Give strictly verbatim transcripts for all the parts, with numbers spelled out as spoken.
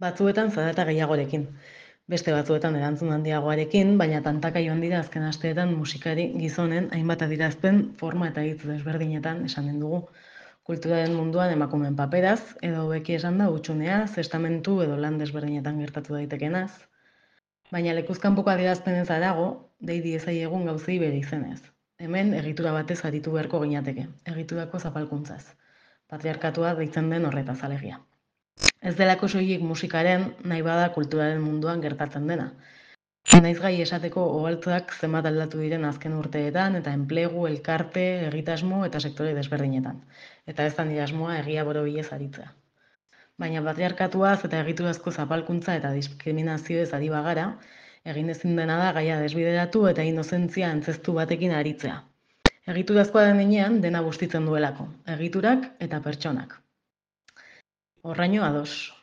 Batzuetan zarata gehiagorekin, beste batzuetan erantzun handiagoarekin, baina tantaka joan dira azken asteetan musikari gizonen hainbat adierazpen forma eta hitz desberdinetan esanen dugu. Kulturaren munduan emakumeen paperaz, edo hobeki esan da hutsuneaz, estamentu edo lan desberdinetan gertatu daitekenaz. Baina lekuz kanpoko adierazpenez harago, dei diezaiegun gauzei bere izenez. Hemen egitura batez aritu beharko ginateke, egiturako zapalkuntzaz. Patriarkatua deitzen den horretaz alegia. Ez delako soilik musikaren, nahi bada kulturaren munduan gertatzen dena. Naiz gai esateko oholtzak zenbat aldatu diren azken urteetan eta enplegu, elkarte, egitasmo eta sektore desberdinetan. Eta ez da nire asmoa egia borobilez aritzea. Baina patriarkatuaz eta egiturazko zapalkuntza eta diskriminazioez ari bagara, egin ezin dena da gaia desbideratu eta inozentzia antzeztu batekin aritzea. Egiturazkoa den heinean dena bustitzen duelako, egiturak eta pertsonak. Horraino ados,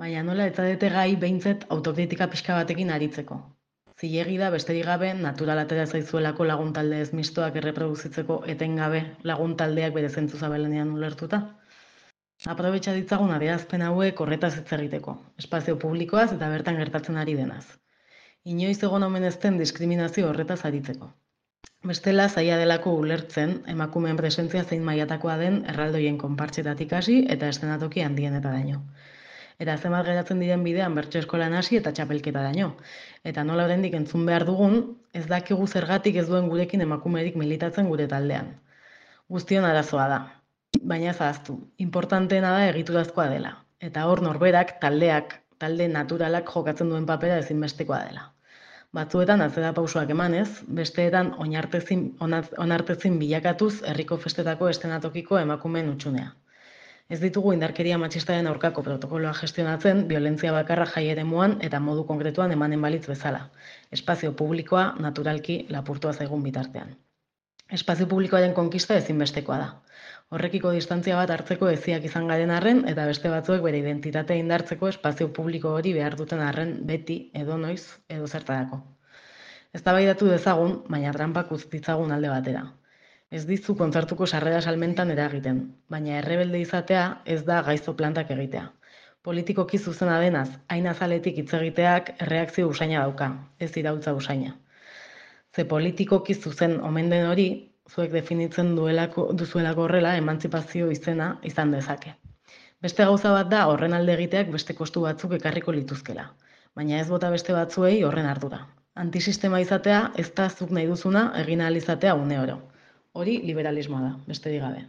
baina nola eta dete gai behintzet autokritika pixka batekin aritzeko. Zilegi da besterik gabe natural atera zaizuelako lagun talde ez mistoak erreproduzitzeko etengabe lagun taldeak bere zentzu zabalenean ulertuta. Aprobetxa ditzagun adierazpen hauek horretaz hitz egiteko, espazio publikoaz eta bertan gertatzen ari denaz. Inoiz egon omen ez den diskriminazio horretaz aritzeko. Bestela zaila delako ulertzen emakumeen presentzia zein mailatakoa den erraldoien konpartsetatik hasi eta eszenatoki handienetaraino. Eta zenbat geratzen diren bidean bertso eskolan hasi eta txapelketaraino. Eta nola oraindik entzun behar dugun, ez dakigu zergatik ez duen gurekin emakumerik militatzen gure taldean. Guztion arazoa da, baina ez ahaztu, importanteena da egiturazkoa dela. Eta hor norberak, taldeak, talde naturalak jokatzen duen papera ezinbestekoa dela. Batzuetan atzera pausoak emanez, besteetan onartezin, onartezin bilakatuz herriko festetako eszenatokiko emakumeen hutsunea. Ez ditugu indarkeria matxistaren aurkako protokoloa gestionatzen, violentzia bakarra jai eremuan eta modu konkretuan emanen balitz bezala. Espazio publikoa naturalki lapurtua zaigun bitartean. Espazio publikoaren konkista ezinbestekoa da. Horrekiko distantzia bat hartzeko eziak izan garen arren eta beste batzuek bere identitatea indartzeko espazio publiko hori behar duten arren beti, edo noiz, edo zertarako. Eztabaidatu dezagun, baina trampak utz ditzagun alde batera. Ez dizu kontzertuko sarrera salmentan eragiten, baina errebelde izatea ez da gaizto plantak egitea. Politikoki zuzena denaz, hain azaletik hitz egiteak erreakzio usaina dauka, ez iraultza usaina. Ze politikoki zuzen omen den hori, zuek definitzen duelako, duzuelako horrela emantzipazio izena izan dezake. Beste gauza bat da horren alde egiteak beste kostu batzuk ekarriko lituzkela, baina ez bota beste batzuei horren ardura. Antisistema izatea ez da zuk nahi duzuna egin ahal izatea une oro. Hori liberalismoa da, besterik gabe.